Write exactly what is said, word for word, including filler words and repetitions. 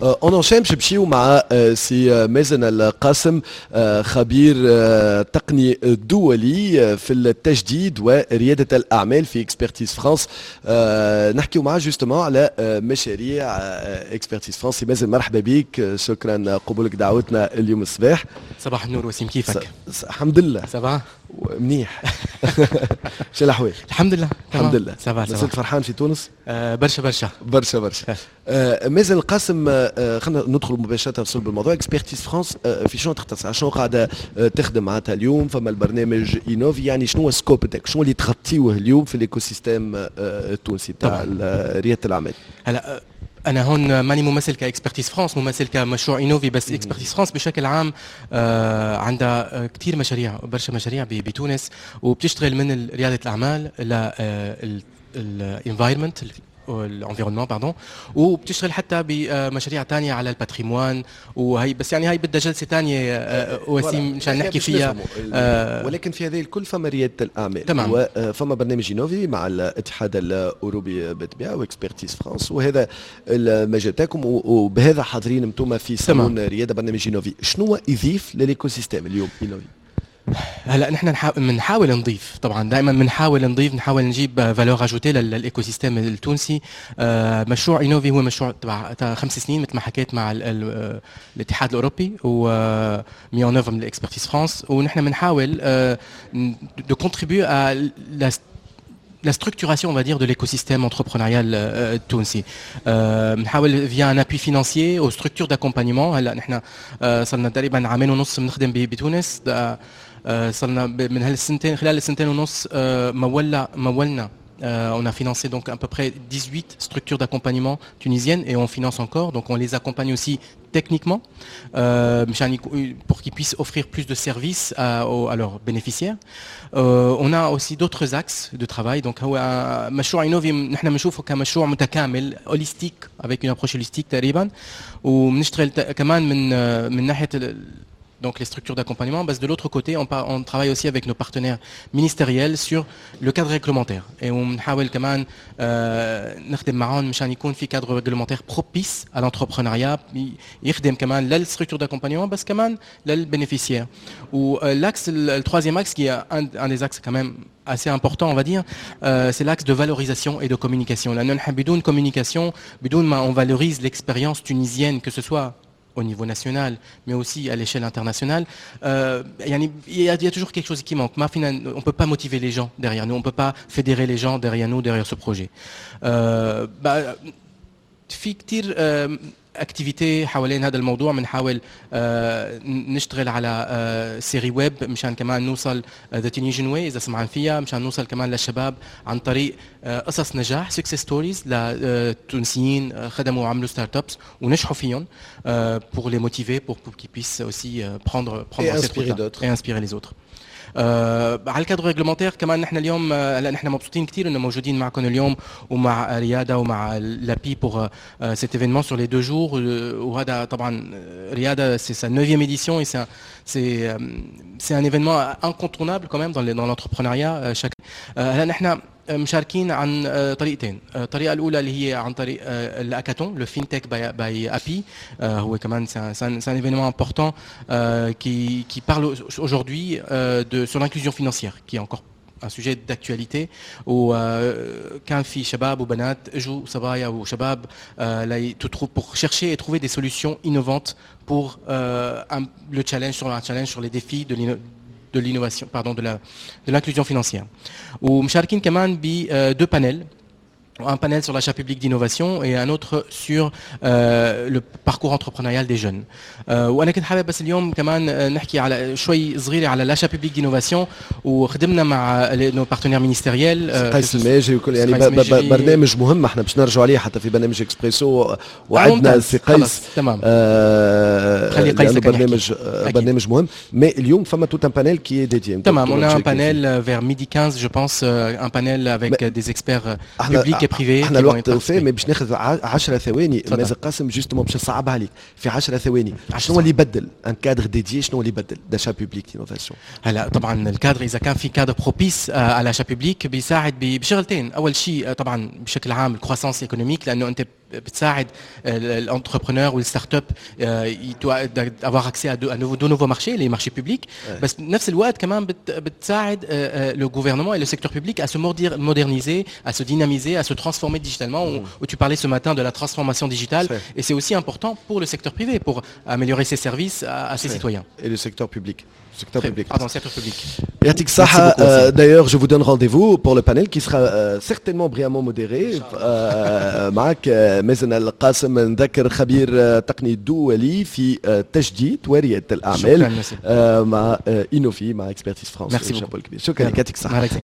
on enchaîne باش نمشيو مع سي مازن القاسم، خبير تقني دولي في التجديد ورياده الاعمال في Expertise France. نحكيو معاه justement على مشاريع Expertise France. سي مازن، مرحبا بك، شكرا قبولك دعوتنا اليوم الصباح. صباح النور وسيم، كيفك؟ الحمد لله. ça va؟ منيح، شو الاحوال؟ الحمد لله. الحمد لله. ça va. مازلت فرحان في تونس؟ آه، برشا برشا. برشا برشا. آه مازن القاسم، آه خلينا ندخل مباشرة في صلب الموضوع. Expertise France آه في شنو تختص؟ شنو قاعدة آه تخدم معناتها اليوم؟ فما البرنامج Innovi، يعني شنو ال scope تاعك؟ شنو اللي تغطيوه اليوم في l'écosystème آه التونسي تاع رياده الاعمال؟ هلا انا هون ماني ممثل ك Expertise France، ممثل كمشروع Innovi، بس Expertise France بشكل عام آه عندها كثير مشاريع، برشا مشاريع بتونس، وبتشتغل من رياده الاعمال ل ال environment، l'environnement pardon، وبتشتغل حتى بمشاريع ثانية على ال patrimoine وهي بس يعني هاي بدها جلسه ثانية آه، وسيم مشان نحكي فيها. آه ولكن في هذه الكل فما رياده الاعمال. تمام. وفما برنامج Innovi مع الاتحاد الاوروبي بالطبيعة و Expertise France، وهذا المجال تاعكم، وبهذا حاضرين انتم في صالون رياده. برنامج Innovi شنو يضيف لل écosystème اليوم Innovi؟ هلا نحن بنحاول نضيف، طبعا دائما بنحاول نضيف، نحاول نجيب valeur ajoutée لل écosystème التونسي. آه، مشروع Innovi هو مشروع تبع خمس سنين مثل ما حكيت مع الاتحاد الاوروبي و mis en œuvre من Expertise France، ونحن بنحاول de contribuer à la structuration, on va dire, de l'écosystème entrepreneurial التونسي. بنحاول via un appui financier aux structures d'accompagnement. هلا نحن صرنا تقريبا عامين ونص بنخدم بتونس. صرنا من هالسنتين، خلال السنتين ونص مولنا مولنا Euh, on a financé donc à peu près dix-huit structures d'accompagnement tunisiennes et on finance encore. Donc on les accompagne aussi techniquement euh, pour qu'ils puissent offrir plus de services à, à leurs bénéficiaires. Euh, on a aussi d'autres axes de travail. Donc هو مشروع Innovi نحن بنشوفه كمشروع متكامل، holistique، avec une approche holistique تقريبا، وبنشتغل كمان من من ناحية donc les structures d'accompagnement. بس de l'autre côté, on, on, travaille aussi avec nos partenaires ministériels sur le cadre réglementaire. Et ونحاول كمان نخدم معهم مشان يكون في cadre réglementaire propice à l'entrepreneuriat، يخدم كمان لل structures d'accompagnement بس كمان لل bénéficiaires. و l'axe, le troisième axe qui est un, un des axes quand même assez important, on va dire, euh, c'est l'axe de valorisation et de communication. لأنه نحن بدون communication، بدون ما on valorise l'expérience tunisienne, que ce soit au niveau national, mais aussi à l'échelle internationale, euh, il y, a, y a toujours quelque chose qui manque. On ne peut pas motiver les gens derrière nous, on ne peut pas fédérer les gens derrière nous, derrière ce projet. Euh, bah, في كثير activités حوالين هذا الموضوع. بنحاول نشتغل على série web مشان كمان نوصل the Tunisian way اذا سمعان فيها، مشان نوصل كمان للشباب عن طريق قصص نجاح، success stories لتونسيين خدموا وعملوا startups ونجحوا فيهم، pour les motiver, pour, pour qu'ils puissent aussi prendre prendre et inspirer d'autres et inspirer les autres. آه على ال cadre réglementaire كمان، نحن اليوم هلا نحن مبسوطين كثير انه موجودين معكم اليوم ومع رياده ومع l'API pour cet événement sur les deux jours. وهذا طبعا رياده c'est sa neuvième édition et c'est c'est c'est un événement incontournable quand même dans dans l'entrepreneuriat chaque. هلا نحن مشاركين عن طريقتين. الطريقة الاولى اللي هي عن طريق ال hackathon، le Fintech by by API. هو كمان c'est un événement important qui qui parle aujourd'hui de sur l'inclusion financière, qui est encore un sujet d'actualité. وكان في شباب وبنات اجوا، صبايا وشباب، pour chercher et trouver des solutions innovantes pour un, le challenge sur un challenge sur les défis de de l'innovation, pardon, de la de l'inclusion financière. ومشاركين كمان ب deux panels, un panel sur l'achat public d'innovation et un autre sur euh, le parcours entrepreneurial des jeunes. euh, وانا كنت حابب بس اليوم كمان نحكي على شوي صغيرة على l'achat public d'innovation، وخدمنا مع nos partenaires ministériels. قيس الماجري وكل، يعني برنامج مهم احنا باش نرجعوا عليه حتى في برنامج اكسبريسو، وعدنا سي قيس. تمام. آه خلي قيس برنامج برنامج مهم، mais اليوم فما tout un panel qui est dédié. تمام، on a un panel vers midi quinze je pense, un panel avec des experts publics et privés. احنا الوقت وفى، mais باش ناخذ عشر ثواني مازن قاسم، justement باش نصعبها عليك في عشر ثواني. شنو اللي يبدل un cadre dédié؟ شنو اللي يبدل d'achat public d'innovation؟ هلا طبعا الكادر، اذا كان في cadre propice à l'achat public، بيساعد بشغلتين. اول شيء طبعا بشكل عام ال croissance économique، لانه انت بتساعد ال entrepreneur وال startup avoir accès à de, à de nouveaux marchés, les marchés publics. بس بنفس الوقت كمان بت بتساعد le gouvernement et le secteur public à se moderniser, à se dynamiser, à se transformer digitalement. Où, où tu parlais ce matin de la transformation digitale, et c'est aussi important pour le secteur privé, pour améliorer ses services à, à ses citoyens. Et le secteur public. Secteur public. Pardon, secteur public. يعطيك الصحة. D'ailleurs, je vous donne rendez-vous pour le panel qui sera euh, certainement brillamment modéré معك مازن القاسم، نذكر خبير تقني دولي في تجديد وريادة الأعمال مع Innovi، مع Expertise France. Merci. شكرا لك، يعطيك الصحة.